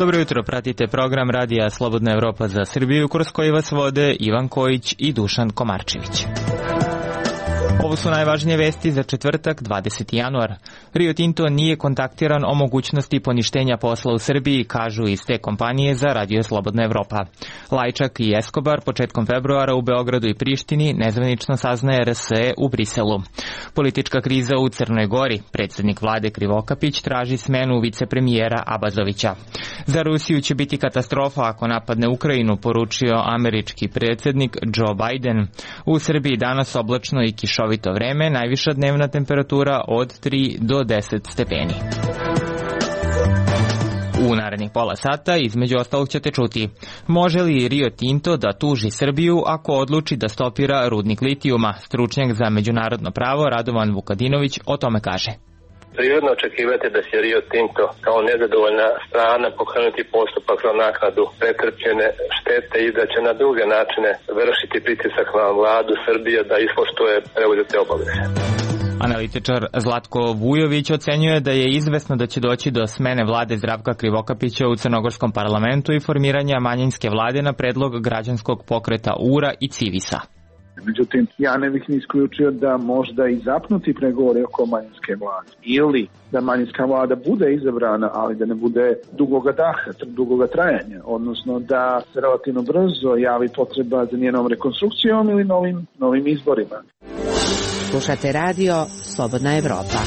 Dobro jutro, pratite program Radija Slobodna Evropa za Srbiju, kroz koji vas vode Ivan Kojić i Dušan Komarčević. Ovo su najvažnije vesti za četvrtak, 20. januar. Rio Tinto nije kontaktiran o mogućnosti poništenja posla u Srbiji, kažu iz te kompanije za Radio Slobodna Evropa. Lajčak i Escobar početkom februara u Beogradu i Prištini nezvanično saznaje RSE u Briselu. Politička kriza u Crnoj Gori. Predsjednik vlade Krivokapić traži smenu vicepremijera Abazovića. Za Rusiju će biti katastrofa ako napadne Ukrajinu, poručio američki predsjednik Joe Biden. U Srbiji danas oblačno i kišovito vreme, najviša dnevna temperatura od 3 do 10 stepeni. U narednih pola sata, između ostalog, ćete čuti: može li Rio Tinto da tuži Srbiju ako odluči da stopira rudnik litijuma? Stručnjak za međunarodno pravo Radovan Vukadinović o tome kaže. Prirodno očekivati da će Rio Tinto kao nezadovoljna strana pokrenuti postupak za naknadu pretrpljene štete i da će na druge načine vršiti pritisak na vladu Srbije da ispoštuje preuzete obaveze. Analitičar Zlatko Vujović ocenjuje da je izvesno da će doći do smene vlade Zdravka Krivokapića u crnogorskom parlamentu i formiranja manjinske vlade na predlog građanskog pokreta URA i Civisa. Međutim, ja ne bih ni isključio da možda i zapnuti pregovori oko manjinske vlade. Ili da manjinska vlada bude izabrana, ali da ne bude dugoga daha, dugoga trajanja. Odnosno da se relativno brzo javi potreba za njenom rekonstrukcijom ili novim izborima. Slušate radio Slobodna Evropa.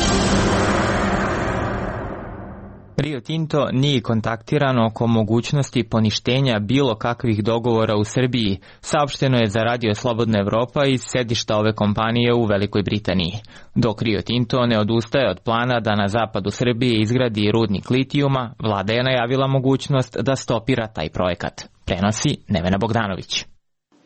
Rio Tinto nije kontaktiran oko mogućnosti poništenja bilo kakvih dogovora u Srbiji, saopšteno je za Radio Slobodna Evropa iz sedišta ove kompanije u Velikoj Britaniji. Dok Rio Tinto ne odustaje od plana da na zapadu Srbije izgradi rudnik litijuma, vlada je najavila mogućnost da stopira taj projekat. Prenosi Nevena Bogdanović.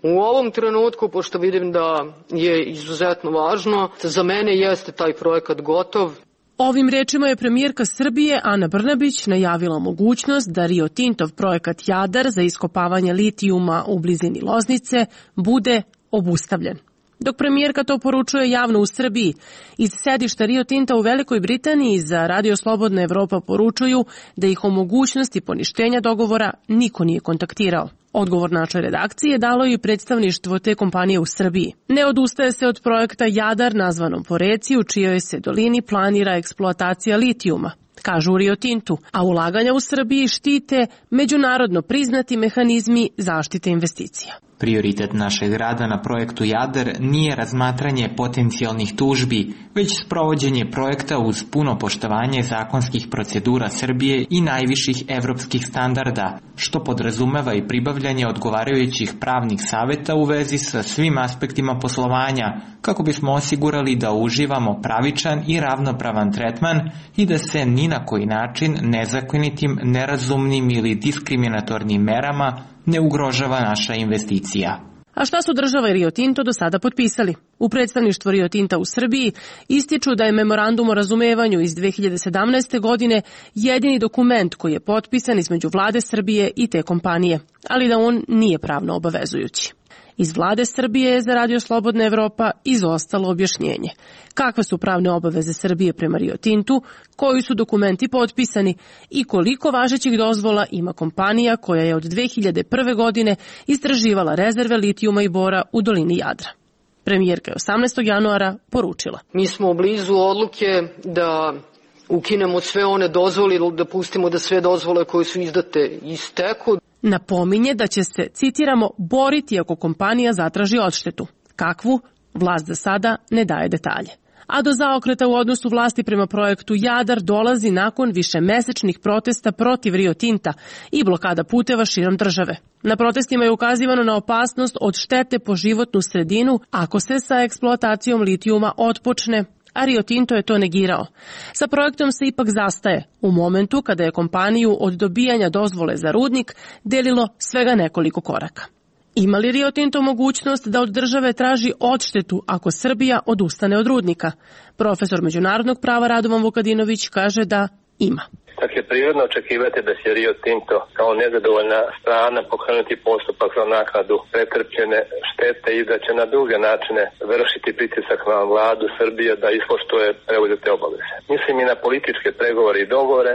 U ovom trenutku, pošto vidim da je izuzetno važno, za mene jeste taj projekat gotov. Ovim rečima je premijerka Srbije Ana Brnabić najavila mogućnost da Rio Tintov projekat Jadar za iskopavanje litijuma u blizini Loznice bude obustavljen. Dok premijerka to poručuje javno u Srbiji, iz sedišta Rio Tinta u Velikoj Britaniji za Radio Slobodna Evropa poručuju da ih o mogućnosti poništenja dogovora niko nije kontaktirao. Odgovor našoj redakcije dalo je i predstavništvo te kompanije u Srbiji. Ne odustaje se od projekta Jadar, nazvanom po reci u čijoj se dolini planira eksploatacija litijuma, kažu u Rio Tintu, a ulaganja u Srbiji štite međunarodno priznati mehanizmi zaštite investicija. Prioritet našeg rada na projektu Jadar nije razmatranje potencijalnih tužbi, već sprovođenje projekta uz puno poštovanje zakonskih procedura Srbije i najviših evropskih standarda, što podrazumeva i pribavljanje odgovarajućih pravnih saveta u vezi sa svim aspektima poslovanja, kako bismo osigurali da uživamo pravičan i ravnopravan tretman i da se ni na koji način nezakonitim, nerazumnim ili diskriminatornim merama ne ugrožava naša investicija. A šta su država i Rio Tinto do sada potpisali? U predstavništvu Rio Tinta u Srbiji ističu da je memorandum o razumevanju iz 2017. godine jedini dokument koji je potpisan između vlade Srbije i te kompanije, ali da on nije pravno obavezujući. Iz vlade Srbije je za Radio Slobodna Evropa izostalo objašnjenje. Kakve su pravne obaveze Srbije prema Rio Tintu, koji su dokumenti potpisani i koliko važećih dozvola ima kompanija koja je od 2001. godine istraživala rezerve litijuma i bora u dolini Jadra. Premijerka je 18. januara poručila: mi smo blizu odluke da ukinemo sve one dozvole ili da pustimo da sve dozvole koje su izdate isteku. Napominje da će se, citiramo, boriti ako kompanija zatraži odštetu. Kakvu? Vlast za sada ne daje detalje. A do zaokreta u odnosu vlasti prema projektu Jadar dolazi nakon višemesečnih protesta protiv Rio Tinta i blokada puteva širom države. Na protestima je ukazivano na opasnost od štete po životnu sredinu ako se sa eksploatacijom litijuma otpočne, a Rio Tinto je to negirao. Sa projektom se ipak zastaje u momentu kada je kompaniju od dobijanja dozvole za rudnik delilo svega nekoliko koraka. Ima li Rio Tinto mogućnost da od države traži odštetu ako Srbija odustane od rudnika? Profesor međunarodnog prava Radovan Vukadinović kaže da ima. Dakle, prirodno očekivati da će Rio Tinto kao nezadovoljna strana pokrenuti postupak za naknadu pretrpljene štete i da će na druge načine vršiti pritisak na vladu Srbije da ispoštuje preuzete obaveze. Mislim i na političke pregovore i dogovore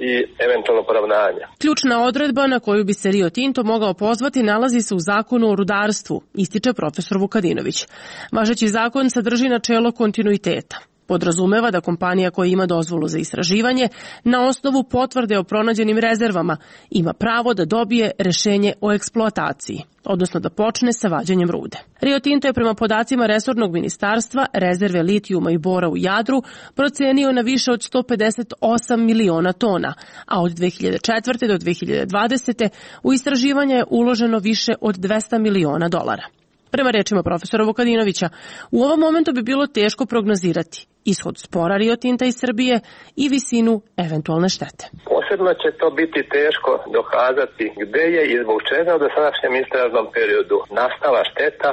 i eventualno poravnanje. Ključna odredba na koju bi se Rio Tinto mogao pozvati nalazi se u zakonu o rudarstvu, ističe profesor Vukadinović. Važeći zakon sadrži načelo kontinuiteta. Podrazumeva da kompanija koja ima dozvolu za istraživanje na osnovu potvrde o pronađenim rezervama ima pravo da dobije rešenje o eksploataciji, odnosno da počne sa vađenjem rude. Rio Tinto je prema podacima resornog ministarstva rezerve litijuma i bora u Jadru procenio na više od 158 miliona tona, a od 2004. do 2020. u istraživanje je uloženo više od 200 miliona dolara. Prema rečima profesora Vukadinovića, u ovom momentu bi bilo teško prognozirati ishod spora Rio Tinta iz Srbije i visinu eventualne štete. Posebno će to biti teško dokazati gde je i zbog čega u dosadašnjem istražnom periodu nastala šteta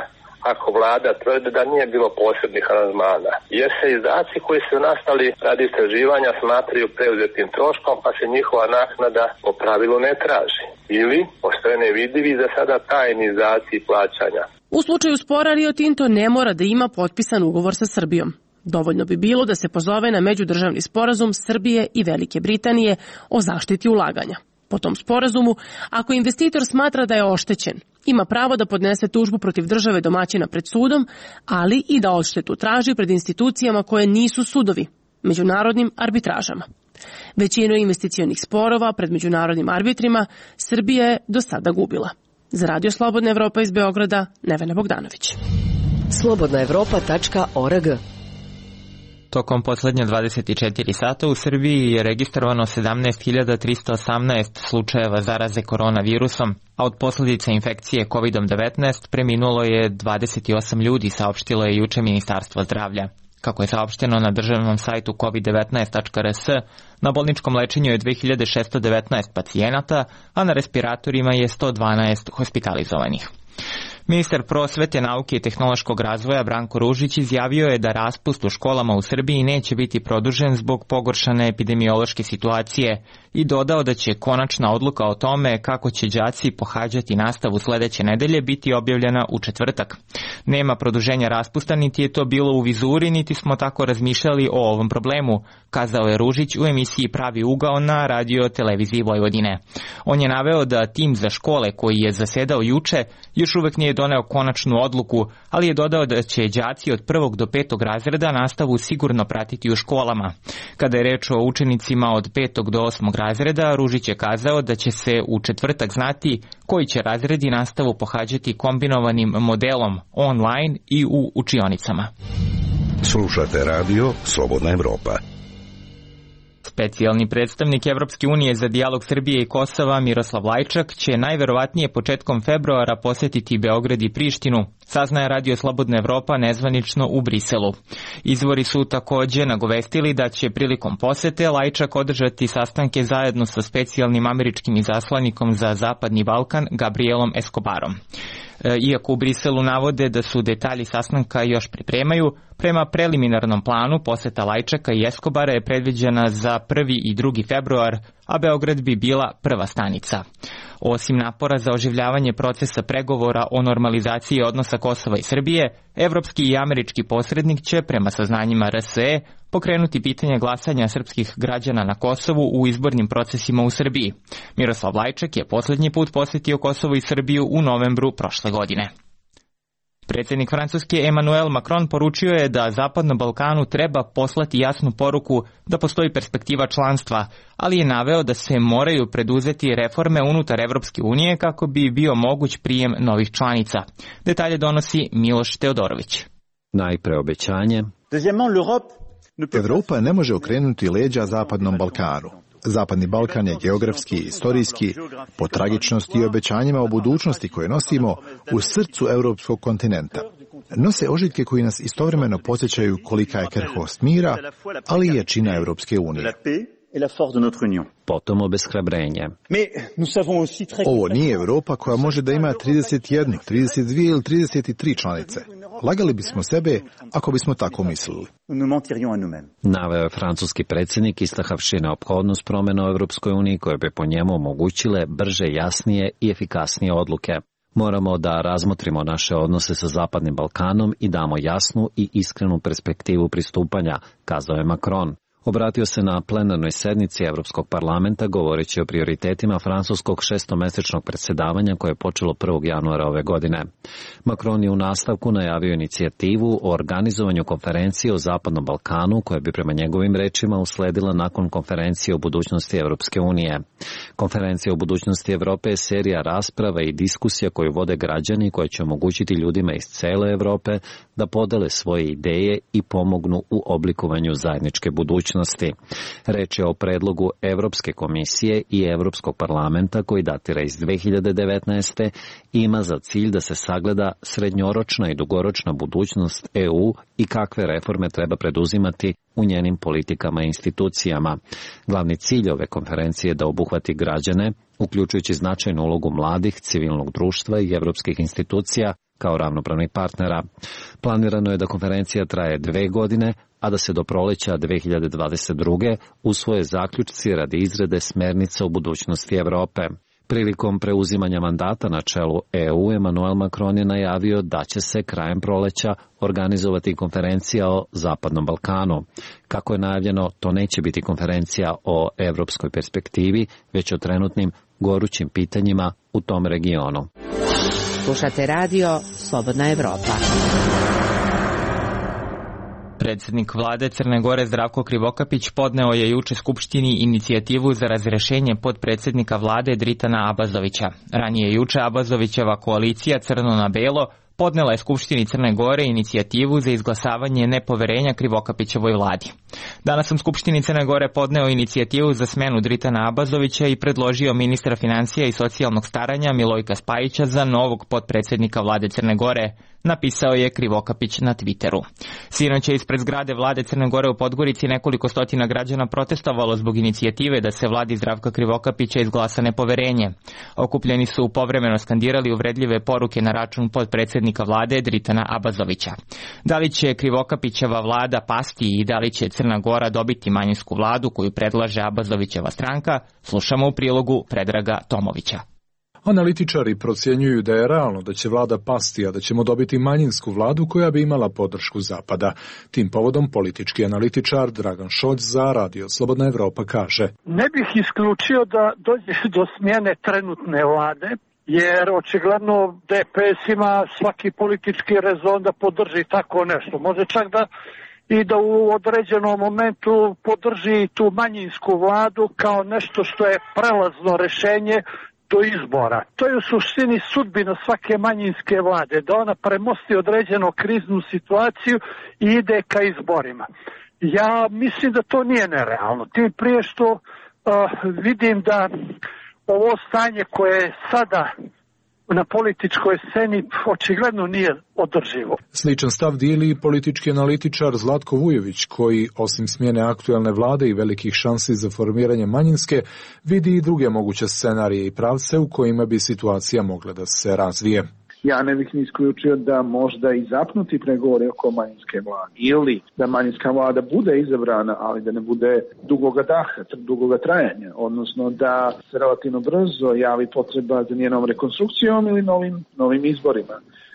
ako vlada tvrde da nije bilo posebnih aranžmana. Jer se izdaci koji su nastali radi istraživanja smatraju preuzetim troškom, pa se njihova naknada po pravilu ne traži. Ili postoje nevidljivi za sada tajni izdaci plaćanja. U slučaju spora Rio Tinto ne mora da ima potpisan ugovor sa Srbijom. Dovoljno bi bilo da se pozove na međudržavni sporazum Srbije i Velike Britanije o zaštiti ulaganja. Po tom sporazumu, ako investitor smatra da je oštećen, ima pravo da podnese tužbu protiv države domaćina pred sudom, ali i da odštetu traži pred institucijama koje nisu sudovi, međunarodnim arbitražama. Većinu investicionih sporova pred međunarodnim arbitrima Srbija je do sada gubila. Za Radio Slobodna Evropa iz Beograda, Nevena Bogdanović. slobodnaevropa.org. Tokom poslednje 24 sata u Srbiji je registrovano 17.318 slučajeva zaraze koronavirusom, a od posljedica infekcije COVID-19 preminulo je 28 ljudi, saopštilo je juče Ministarstvo zdravlja. Kako je saopšteno na državnom sajtu covid19.rs, na bolničkom lečenju je 2619 pacijenata, a na respiratorima je 112 hospitalizovanih. Ministar prosvete, nauke i tehnološkog razvoja Branko Ružić izjavio je da raspust u školama u Srbiji neće biti produžen zbog pogoršane epidemiološke situacije i dodao da će konačna odluka o tome kako će đaci pohađati nastavu sledeće nedelje biti objavljena u četvrtak. Nema produženja raspusta, niti je to bilo u vizuri, niti smo tako razmišljali o ovom problemu, kazao je Ružić u emisiji Pravi ugao na Radio Televiziji Vojvodine. On je naveo da tim za škole koji je zasedao juče još uvek nije doneo konačnu odluku, ali je dodao da će đaci od 1. do 5. razreda nastavu sigurno pratiti u školama. Kada je reč o učenicima od 5. do 8. razreda, Ružić je kazao da će se u četvrtak znati koji će razredi nastavu pohađati kombinovanim modelom online i u učionicama. Slušate radio Slobodna Evropa. Specijalni predstavnik Evropske unije za dijalog Srbije i Kosova Miroslav Lajčak će najverovatnije početkom februara posetiti Beograd i Prištinu, saznaje Radio Slobodna Evropa nezvanično u Briselu. Izvori su takođe nagovestili da će prilikom posete Lajčak održati sastanke zajedno sa specijalnim američkim izaslanikom za Zapadni Balkan Gabrielom Escobarom. Iako u Briselu navode da su detalji sastanka još pripremaju, prema preliminarnom planu poseta Lajčaka i Escobara je predviđena za 1. i 2. februar, a Beograd bi bila prva stanica. Osim napora za oživljavanje procesa pregovora o normalizaciji odnosa Kosova i Srbije, evropski i američki posrednik će, prema saznanjima RSE, pokrenuti pitanje glasanja srpskih građana na Kosovu u izbornim procesima u Srbiji. Miroslav Lajčak je poslednji put posetio Kosovo i Srbiju u novembru prošle godine. Predsjednik Francuske Emmanuel Macron poručio je da Zapadnom Balkanu treba poslati jasnu poruku da postoji perspektiva članstva, ali je naveo da se moraju preduzeti reforme unutar Evropske unije kako bi bio moguć prijem novih članica. Detalje donosi Miloš Teodorović. Najpre obećanje. Evropa ne može okrenuti leđa Zapadnom Balkanu. Zapadni Balkan je geografski i istorijski, po tragičnosti i obećanjima o budućnosti koje nosimo, u srcu europskog kontinenta. Nose ožiljke koji nas istovremeno podsjećaju kolika je krhkost mira, ali i jačina Evropske unije. Potom obeshrabrenje. Ovo nije Evropa koja može da ima 31, 32 ili 33 članice. Lagali bismo sebe ako bismo tako mislili. Naveo je francuski predsjednik istahavši neophodnost promjena u Evropskoj uniji koje bi po njemu omogućile brže, jasnije i efikasnije odluke. Moramo da razmotrimo naše odnose sa Zapadnim Balkanom i damo jasnu i iskrenu perspektivu pristupanja, kazao je Macron. Obratio se na plenarnoj sednici Evropskog parlamenta govoreći o prioritetima francuskog šestomesečnog predsjedavanja koje je počelo 1. januara ove godine. Macron je u nastavku najavio inicijativu o organizovanju konferencije o Zapadnom Balkanu koja bi prema njegovim rečima usledila nakon konferencije o budućnosti Evropske unije. Konferencija o budućnosti Evrope je serija rasprava i diskusija koju vode građani koje će omogućiti ljudima iz cele Evrope da podele svoje ideje i pomognu u oblikovanju zajedničke budućnosti. Reč je o predlogu Evropske komisije i Evropskog parlamenta koji datira iz 2019. i ima za cilj da se sagleda srednjoročna i dugoročna budućnost EU i kakve reforme treba preduzimati u njenim politikama i institucijama. Glavni cilj ove konferencije je da obuhvati građane, uključujući značajnu ulogu mladih, civilnog društva i evropskih institucija kao ravnopravnih partnera. Planirano je da konferencija traje 2 godine, a da se do proleća 2022. usvoje zaključci radi izrade smernica u budućnosti Evrope. Prilikom preuzimanja mandata na čelu EU, Emmanuel Macron je najavio da će se krajem proleća organizovati konferencija o Zapadnom Balkanu. Kako je najavljeno, to neće biti konferencija o evropskoj perspektivi, već o trenutnim gorućim pitanjima u tom regionu. Slušate radio Slobodna Evropa. Predsjednik vlade Crne Gore Zdravko Krivokapić podneo je juče Skupštini inicijativu za razrešenje potpredsjednika vlade Dritana Abazovića. Ranije juče Abazovićeva koalicija Crno na belo podnela je Skupštini Crne Gore inicijativu za izglasavanje nepoverenja Krivokapićevoj vladi. Danas sam Skupštini Crne Gore podneo inicijativu za smenu Dritana Abazovića i predložio ministra financija i socijalnog staranja Milojka Spajića za novog potpredsjednika vlade Crne Gore, napisao je Krivokapić na Twitteru. Sinoć je ispred zgrade vlade Crne Gore u Podgorici nekoliko stotina građana protestovalo zbog inicijative da se vladi Zdravka Krivokapića izglasa nepoverenje. Okupljeni su povremeno skandirali uvredljive poruke na račun potpredsjednika vlade Dritana Abazovića. Da li će Krivokapićeva vlada pasti i da li će Crna Gora dobiti manjinsku vladu koju predlaže Abazovićeva stranka, slušamo u prilogu Predraga Tomovića. Analitičari procjenjuju da je realno da će vlada pasti, a da ćemo dobiti manjinsku vladu koja bi imala podršku Zapada. Tim povodom politički analitičar Dragan Šolj za Radio Slobodna Evropa kaže: Ne bih isključio da dođe do smjene trenutne vlade, jer očigledno DPS ima svaki politički rezon da podrži tako nešto. Može čak da u određenom momentu podrži tu manjinsku vladu kao nešto što je prelazno rješenje do izbora. To je u suštini sudbina svake manjinske vlade, da ona premosti određenu kriznu situaciju i ide ka izborima. Ja mislim da to nije nerealno. Tim prije što vidim da ovo stanje koje je sada na političkoj sceni očigledno nije održivo. Sličan stav dijeli i politički analitičar Zlatko Vujović, koji osim smjene aktuelne vlade i velikih šansi za formiranje manjinske, vidi i druge moguće scenarije i pravce u kojima bi situacija mogla da se razvije. Ja ne bih ni isključio da možda i zapnuti pregovori oko manjinske vlade. Ili da manjinska vlada bude izabrana, ali da ne bude dugoga daha, dugoga trajanja. Odnosno da se relativno brzo javi potreba za njenom rekonstrukcijom ili novim izborima.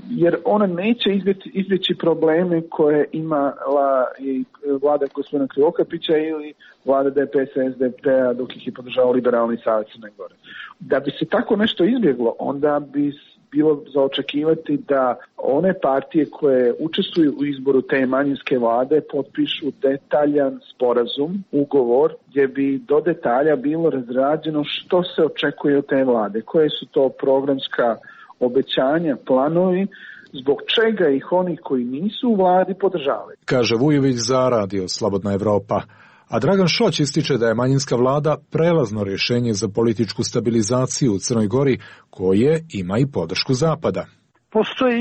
Jer ona neće izbjeći probleme koje imala i vlada gospodina Krivokapića ili vlada DPS-a, SDP-a dok ih je podržao Liberalni savez Crne Gore. Da bi se tako nešto izbjeglo, onda bi bilo za očekivati da one partije koje učestvuju u izboru te manjinske vlade potpišu detaljan sporazum, ugovor, gdje bi do detalja bilo razrađeno što se očekuje od te vlade, koje su to programska obećanja, planovi, zbog čega ih oni koji nisu u vladi podržavaju. Kaže Vujović za Radio Slobodna Evropa. A Dragan Šolj ističe da je manjinska vlada prelazno rješenje za političku stabilizaciju u Crnoj Gori, koje ima i podršku Zapada. Postoji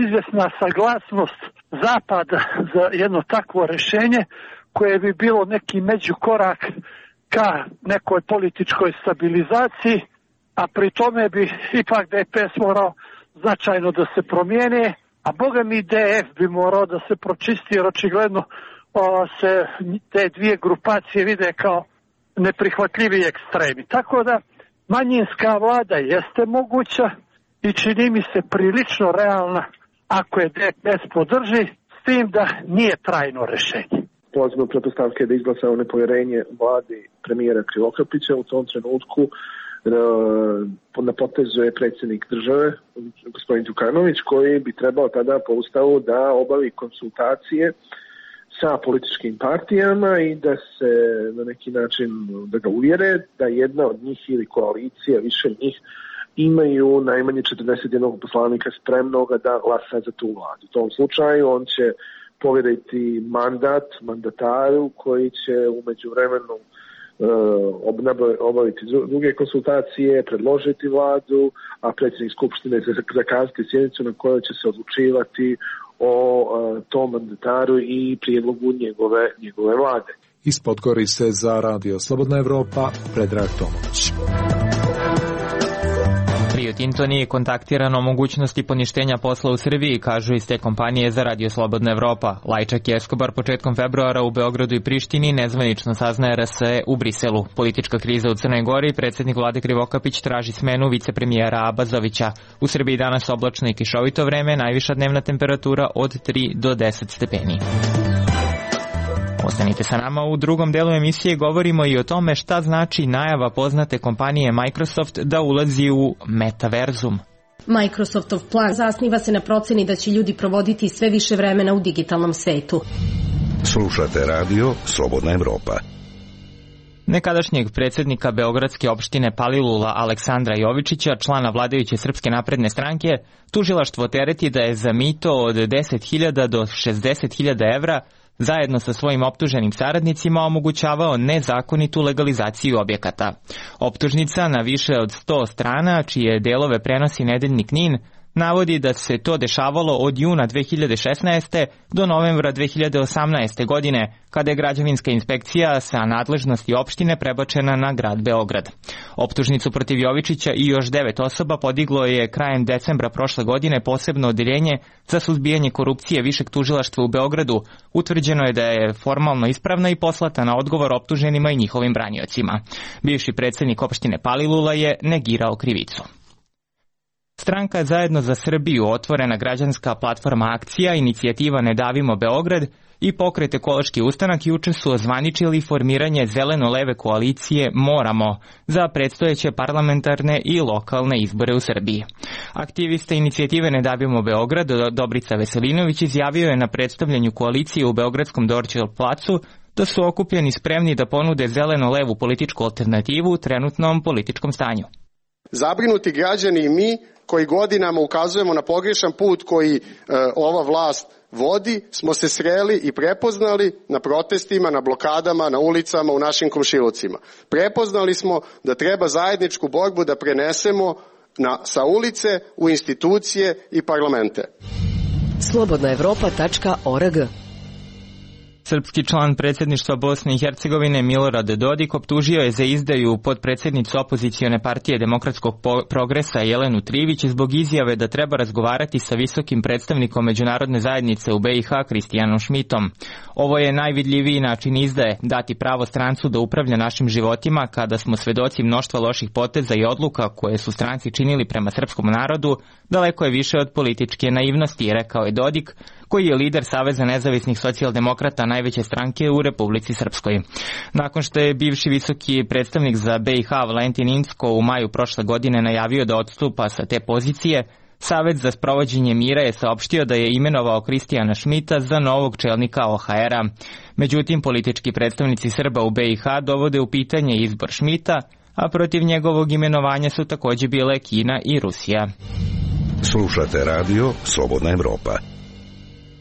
izvjesna saglasnost Zapada za jedno takvo rješenje koje bi bilo neki međukorak ka nekoj političkoj stabilizaciji, a pri tome bi ipak DPS morao značajno da se promijene, a boga mi DF bi morao da se pročisti, jer očigledno se te dvije grupacije vide kao neprihvatljivi ekstremi. Tako da manjinska vlada jeste moguća i čini mi se prilično realna ako je DPS podrži, s tim da nije trajno rješenje. polazimo pretpostavke da izglasao nepovjerenje vladi premijera Krivokapića. U tom trenutku na potezu je predsjednik države, gospodin Đukanović, koji bi trebao tada po ustavu da obavi konsultacije sa političkim partijama i da se na neki način da ga uvjere da jedna od njih ili koalicija, više njih, imaju najmanje 41 poslanika spremnoga da glasa za tu vladu. U tom slučaju on će povjeriti mandataru koji će u međuvremenu obaviti druge konsultacije, predložiti vladu, a predsjednik Skupštine zakazati sjednicu na kojoj će se odlučivati o tom mandataru i prijedlogu njegove vlade. Iz Podgorice za Radio Slobodna Evropa, Predrag Tomović. Rio Tinto nije kontaktirano o mogućnosti poništenja posla u Srbiji, kažu iz te kompanije za Radio Slobodna Evropa. Lajčak i Escobar početkom februara u Beogradu i Prištini nezvanično saznaje RSE u Briselu. Politička kriza u Crnoj Gori, predsjednik vlade Krivokapić traži smenu vicepremijera Abazovića. U Srbiji danas oblačno i kišovito vreme, najviša dnevna temperatura od 3 do 10 stepeni. Ostanite sa nama, u drugom delu emisije govorimo i o tome šta znači najava poznate kompanije Microsoft da ulazi u metaverzum. Microsoftov plan zasniva se na proceni da će ljudi provoditi sve više vremena u digitalnom svetu. Slušate radio Slobodna Evropa. Nekadašnjeg predsjednika Beogradske opštine Palilula Aleksandra Jovičića, člana vladajuće Srpske napredne stranke, tužilaštvo tereti da je za mito od 10.000 do 60.000 evra zajedno sa svojim optuženim saradnicima omogućavao nezakonitu legalizaciju objekata. Optužnica na više od 100 strana, čije delove prenosi nedeljnik NIN, navodi da se to dešavalo od juna 2016. do novembra 2018. godine, kada je građevinska inspekcija sa nadležnosti opštine prebačena na grad Beograd. Optužnicu protiv Jovičića i još 9 osoba podiglo je krajem decembra prošle godine posebno odeljenje za suzbijanje korupcije Višeg tužilaštva u Beogradu. Utvrđeno je da je formalno ispravna i poslata na odgovor optuženima i njihovim braniocima. Bivši predsjednik opštine Palilula je negirao krivicu. Stranka Zajedno za Srbiju, otvorena građanska platforma Akcija, inicijativa Ne davimo Beograd i pokret Ekološki ustanak juče su ozvaničili formiranje zeleno-leve koalicije Moramo za predstojeće parlamentarne i lokalne izbore u Srbiji. Aktivista inicijative Ne davimo Beograd, Dobrica Veselinović, izjavio je na predstavljanju koalicije u Beogradskom Dorćol placu da su okupljeni spremni da ponude zeleno-levu političku alternativu u trenutnom političkom stanju. Zabrinuti građani i mi koji godinama ukazujemo na pogrešan put koji ova vlast vodi, smo se sreli i prepoznali na protestima, na blokadama, na ulicama, u našim komšilucima. Prepoznali smo da treba zajedničku borbu da prenesemo sa ulice u institucije i parlamente. slobodnaevropa.org. Srpski član predsjedništva Bosne i Hercegovine Milorad Dodik optužio je za izdaju potpredsjednicu opozicione partije Demokratskog progresa Jelenu Trivić zbog izjave da treba razgovarati sa visokim predstavnikom međunarodne zajednice u BiH Kristijanom Šmitom. Ovo je najvidljiviji način izdaje, dati pravo strancu da upravlja našim životima kada smo svedoci mnoštva loših poteza i odluka koje su stranci činili prema srpskom narodu, daleko je više od političke naivnosti, rekao je Dodik, koji je lider Saveza nezavisnih socijaldemokrata najveće stranke u Republici Srpskoj. Nakon što je bivši visoki predstavnik za BiH Valentin Incko u maju prošle godine najavio da odstupa sa te pozicije, Savet za sprovođenje mira je saopštio da je imenovao Kristijana Šmita za novog čelnika OHR-a. Međutim, politički predstavnici Srba u BiH dovode u pitanje izbor Šmita, a protiv njegovog imenovanja su također bile Kina i Rusija. Slušate radio Slobodna Evropa.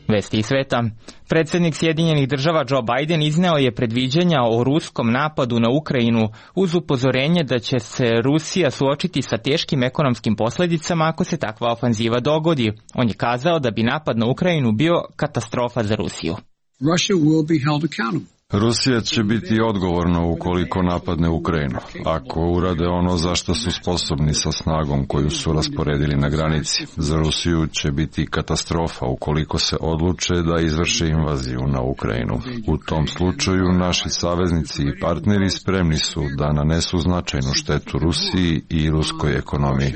Vesti iz sveta. Predsjednik Sjedinjenih država Joe Biden izneo je predviđanja o ruskom napadu na Ukrajinu uz upozorenje da će se Rusija suočiti sa teškim ekonomskim posljedicama ako se takva ofanziva dogodi. On je kazao da bi napad na Ukrajinu bio katastrofa za Rusiju. Rusija će biti odgovorna ukoliko napadne Ukrajinu, ako urade ono za što su sposobni sa snagom koju su rasporedili na granici. Za Rusiju će biti katastrofa ukoliko se odluče da izvrše invaziju na Ukrajinu. U tom slučaju naši saveznici i partneri spremni su da nanesu značajnu štetu Rusiji i ruskoj ekonomiji.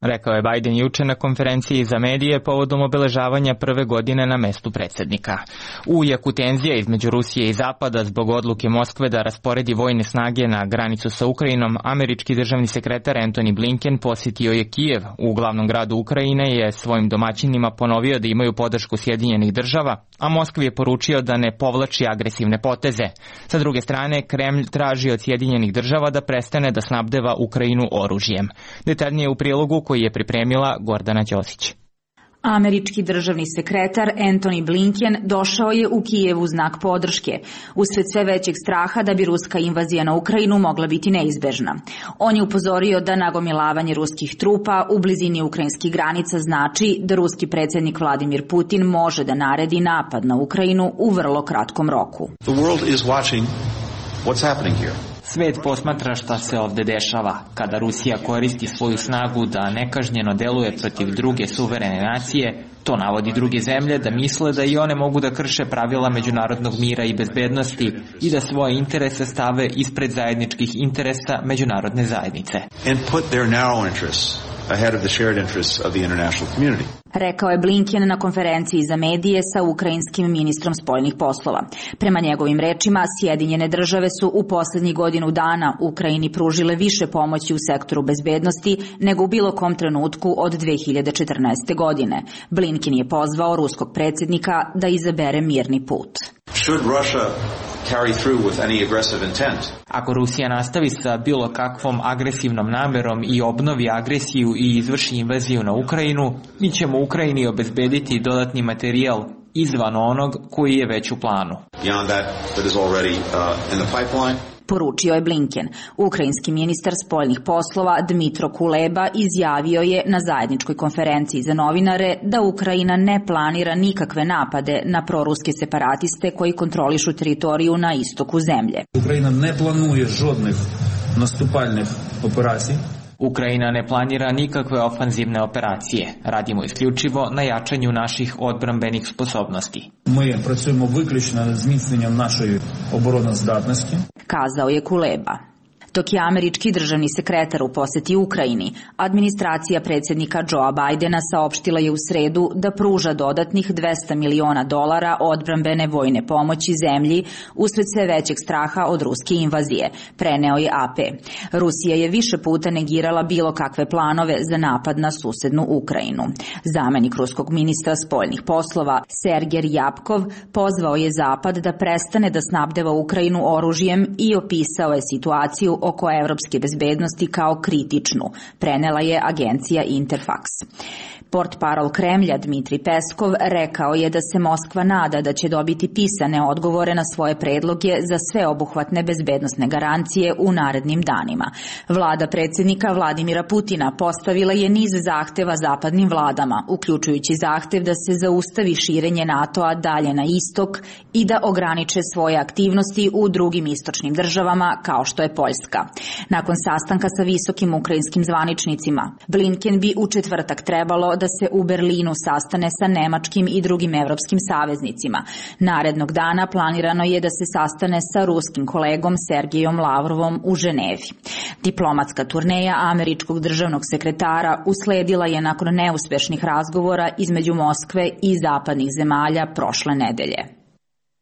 rekao je Biden juče na konferenciji za medije povodom obeležavanja prve godine na mestu predsednika. U jeku tenzija između Rusije i Zapada zbog odluke Moskve da rasporedi vojne snage na granicu sa Ukrajinom, američki državni sekretar Antony Blinken posjetio je Kijev. U glavnom gradu Ukrajine je svojim domaćinima ponovio da imaju podršku Sjedinjenih država, a Moskvi je poručio da ne povlači agresivne poteze. Sa druge strane, Kremlj traži od Sjedinjenih država da prestane da snabdeva Ukrajinu oružjem. Detaljnije u prilogu koji je pripremila Gordana Ćosić. Američki državni sekretar Antony Blinken došao je u Kijev u znak podrške, usled sve većeg straha da bi ruska invazija na Ukrajinu mogla biti neizbežna. On je upozorio da nagomilavanje ruskih trupa u blizini ukrajinskih granica znači da ruski predsjednik Vladimir Putin može da naredi napad na Ukrajinu u vrlo kratkom roku. The world is watching what's happening here. Svet posmatra šta se ovde dešava. Kada Rusija koristi svoju snagu da nekažnjeno deluje protiv druge suverene nacije, to navodi druge zemlje da misle da i one mogu da krše pravila međunarodnog mira i bezbednosti i da svoje interese stave ispred zajedničkih interesa međunarodne zajednice. And put their narrow interests ahead of the shared interests of the international community. Rekao je Blinken na konferenciji za medije sa ukrajinskim ministrom spoljnih poslova. Prema njegovim rečima, Sjedinjene države su u poslednjih godinu dana Ukrajini pružile više pomoći u sektoru bezbednosti nego u bilo kom trenutku od 2014. godine. Blinken je pozvao ruskog predsjednika da izabere mirni put. Should Russia carry through with any aggressive intent? Ako Rusija nastavi sa bilo kakvom agresivnom namerom i obnovi agresiju i izvrši invaziju na Ukrajinu, mi ćemo Ukrajini obezbediti dodatni materijal izvan onog koji je već u planu. Beyond that is already in the pipeline. Poručio je Blinken. Ukrajinski ministar spoljnih poslova Dmitro Kuleba izjavio je na zajedničkoj konferenciji za novinare da Ukrajina ne planira nikakve napade na proruske separatiste koji kontrolišu teritoriju na istoku zemlje. Ukrajina ne planuje žodnih nastupalnih operacija. Ukrajina ne planira nikakve ofanzivne operacije. Radimo isključivo na jačanju naših odbrambenih sposobnosti. Mi pracujemo виключно над зміцненням нашої обороноздатності, kazao je Kuleba. Dok je američki državni sekretar u poseti Ukrajini, administracija predsjednika Joea Bidena saopštila je u sredu da pruža dodatnih $200 miliona odbrambene vojne pomoći zemlji usled sve većeg straha od ruske invazije, preneo je AP. Rusija je više puta negirala bilo kakve planove za napad na susednu Ukrajinu. Zamenik ruskog ministra spoljnih poslova Sergej Ryabkov pozvao je Zapad da prestane da snabdeva Ukrajinu oružjem i opisao je situaciju oko evropske bezbednosti kao kritičnu, prenela je agencija Interfax. Portparol Kremlja Dmitri Peskov rekao je da se Moskva nada da će dobiti pisane odgovore na svoje predloge za sveobuhvatne bezbednosne garancije u narednim danima. Vlada predsjednika Vladimira Putina postavila je niz zahteva zapadnim vladama, uključujući zahtev da se zaustavi širenje NATO-a dalje na istok i da ograniče svoje aktivnosti u drugim istočnim državama kao što je Poljska. Nakon sastanka sa visokim ukrajinskim zvaničnicima, Blinken bi u četvrtak trebalo da se u Berlinu sastane sa nemačkim i drugim evropskim saveznicima. Narednog dana planirano je da se sastane sa ruskim kolegom Sergejom Lavrovom u Ženevi. Diplomatska turneja američkog državnog sekretara usledila je nakon neuspešnih razgovora između Moskve i zapadnih zemalja prošle nedelje.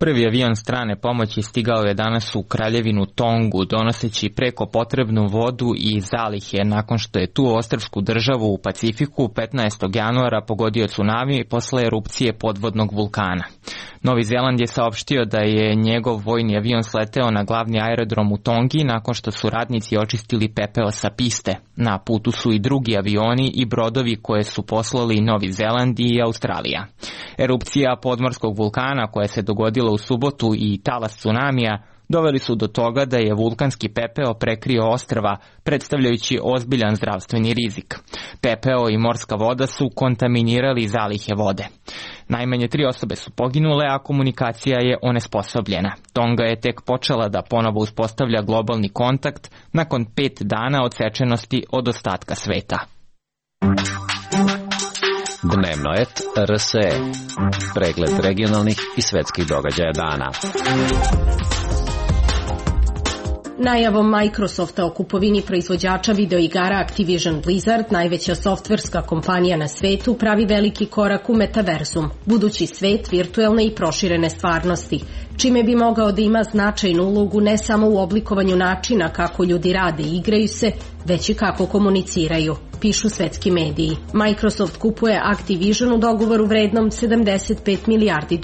Prvi avion strane pomoći stigao je danas u Kraljevinu Tongu, donoseći preko potrebnu vodu i zalihe nakon što je tu ostrvsku državu u Pacifiku 15. januara pogodio tsunami posle erupcije podvodnog vulkana. Novi Zeland je saopštio da je njegov vojni avion sleteo na glavni aerodrom u Tongi nakon što su radnici očistili pepeo sa piste. Na putu su i drugi avioni i brodovi koje su poslali Novi Zeland i Australija. Erupcija podmorskog vulkana koja se dogodila u subotu i talas tsunamija doveli su do toga da je vulkanski pepeo prekrio ostrva, predstavljajući ozbiljan zdravstveni rizik. Pepeo i morska voda su kontaminirali zalihe vode. Najmanje 3 osobe su poginule, a komunikacija je onesposobljena. Tonga je tek počela da ponovo uspostavlja globalni kontakt nakon 5 dana odsečenosti od ostatka sveta. Dnevno et RSE. Pregled regionalnih i svetskih događaja dana. Najavom Microsofta o kupovini proizvođača videoigara Activision Blizzard, najveća softverska kompanija na svetu, pravi veliki korak u metaverzum, budući svet virtuelne i proširene stvarnosti, čime bi mogao da ima značajnu ulogu ne samo u oblikovanju načina kako ljudi rade i igraju se, već i kako komuniciraju, pišu svetski mediji. Microsoft kupuje Activision u dogovoru vrednom $75 milijardi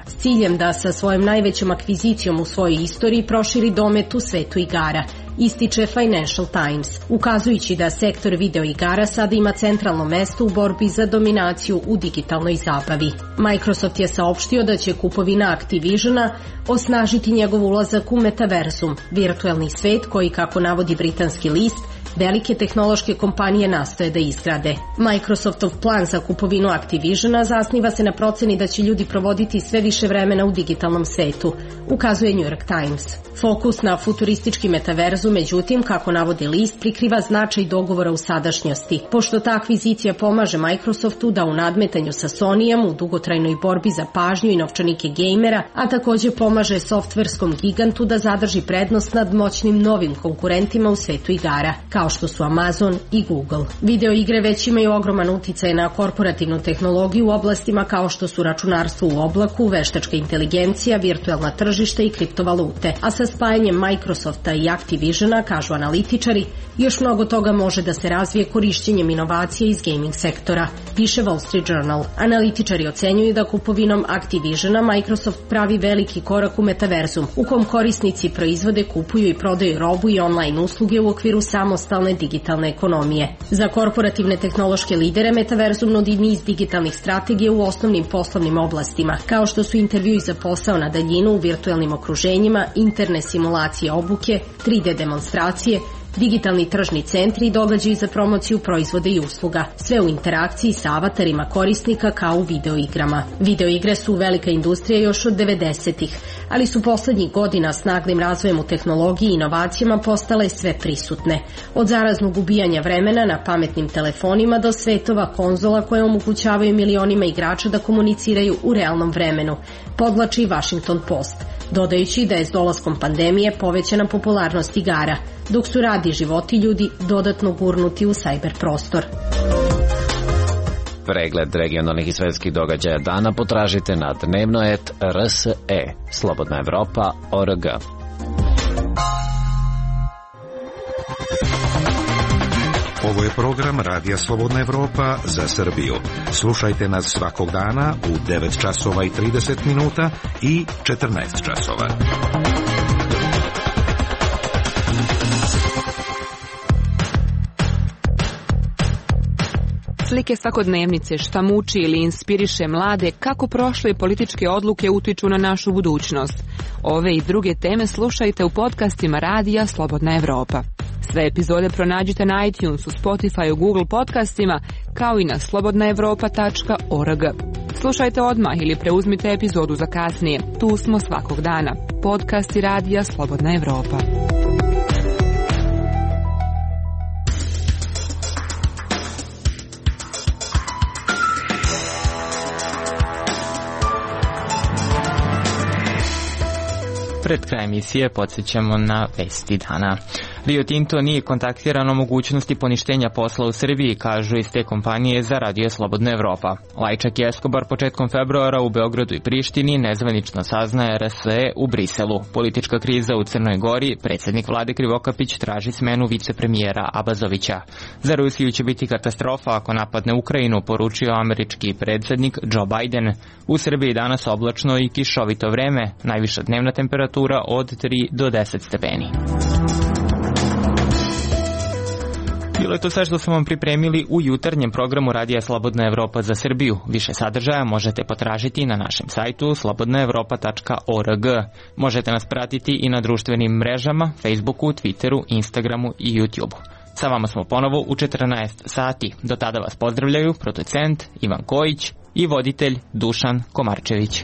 s ciljem da sa svojom najvećom akvizicijom u svojoj istoriji proširi domet u svetu igara, ističe Financial Times, ukazujući da sektor videoigara sada ima centralno mesto u borbi za dominaciju u digitalnoj zabavi. Microsoft je saopštio da će kupovina Activisiona osnažiti njegov ulazak u metaverzum, virtuelni svet koji, kako navodi britanski list, velike tehnološke kompanije nastoje da izgrade. Microsoftov plan za kupovinu Activisiona zasniva se na proceni da će ljudi provoditi sve više vremena u digitalnom svetu, ukazuje New York Times. Fokus na futuristički metaverzu, međutim, kako navodi list, prikriva značaj dogovora u sadašnjosti, pošto ta akvizicija pomaže Microsoftu da u nadmetanju sa Sonyjem u dugotrajnoj borbi za pažnju i novčanike gejmera, a takođe pomaže softverskom gigantu da zadrži prednost nad moćnim novim konkurentima u svetu igara, kao što su Amazon i Google. Video igre već imaju ogroman uticaj na korporativnu tehnologiju u oblastima kao što su računarstvo u oblaku, veštačka inteligencija, virtuelna tržišta i kriptovalute, a sa spajanjem Microsofta i Activisiona, kažu analitičari, još mnogo toga može da se razvije korišćenjem inovacija iz gaming sektora, piše Wall Street Journal. Analitičari ocenjuju da kupovinom Activisiona Microsoft pravi veliki korak u metaverzum, u kom korisnici proizvode, kupuju i prodaju robu i online usluge u okviru samostalne digitalne ekonomije. Za korporativne tehnološke lidere metaverzum nudi niz digitalnih strategija u osnovnim poslovnim oblastima, kao što su intervjui za posao na daljinu u virtuelnim okruženjima, interne simulacije obuke, 3D demonstracije, digitalni tržni centri i događaji za promociju proizvoda i usluga, sve u interakciji sa avatarima korisnika kao u videoigrama. Videoigre su velika industrija još od 90-ih, ali su poslednjih godina s naglim razvojem u tehnologiji i inovacijama postale sve prisutne. Od zaraznog ubijanja vremena na pametnim telefonima do svetova konzola koje omogućavaju milionima igrača da komuniciraju u realnom vremenu, podvlači Washington Post, dodajući da je s dolaskom pandemije povećana popularnost igara, dok su rad i životi ljudi dodatno gurnuti u sajber prostor. Pregled regionalnih i svetskih događaja dana potražite na dnevno.rse, slobodnaevropa.org. Ovo je program Radija Slobodna Evropa za Srbiju. Slušajte nas svakog dana u 9 časova i 30 minuta i 14 časova. Slike svakodnevnice, šta muči ili inspiriše mlade, kako prošle političke odluke utiču na našu budućnost. Ove i druge teme slušajte u podcastima Radija Slobodna Evropa. Sve epizode pronađite na iTunesu, Spotifyu, Google podcastima, kao i na slobodnaevropa.org. Slušajte odmah ili preuzmite epizodu za kasnije. Tu smo svakog dana. Podcasti Radija Slobodna Evropa. Pred kraj emisije podsjećamo na vesti dana. Rio Tinto nije kontaktiran o mogućnosti poništenja posla u Srbiji, kažu iz te kompanije za Radio Slobodna Evropa. Lajčak i Escobar početkom februara u Beogradu i Prištini nezvanično saznaje RSE u Briselu. Politička kriza u Crnoj Gori, predsjednik vlade Krivokapić traži smenu vicepremijera Abazovića. Za Rusiju će biti katastrofa ako napadne Ukrajinu, poručio američki predsjednik Joe Biden. U Srbiji danas oblačno i kišovito vreme, najviša dnevna temperatura od 3 do 10 stepeni. Bilo je to sve što smo vam pripremili u jutarnjem programu Radija Slobodna Evropa za Srbiju. Više sadržaja možete potražiti na našem sajtu slobodnaevropa.org. Možete nas pratiti i na društvenim mrežama, Facebooku, Twitteru, Instagramu i YouTubeu. Sa vama smo ponovo u 14 sati. Do tada vas pozdravljaju producent Ivan Kojić i voditelj Dušan Komarčević.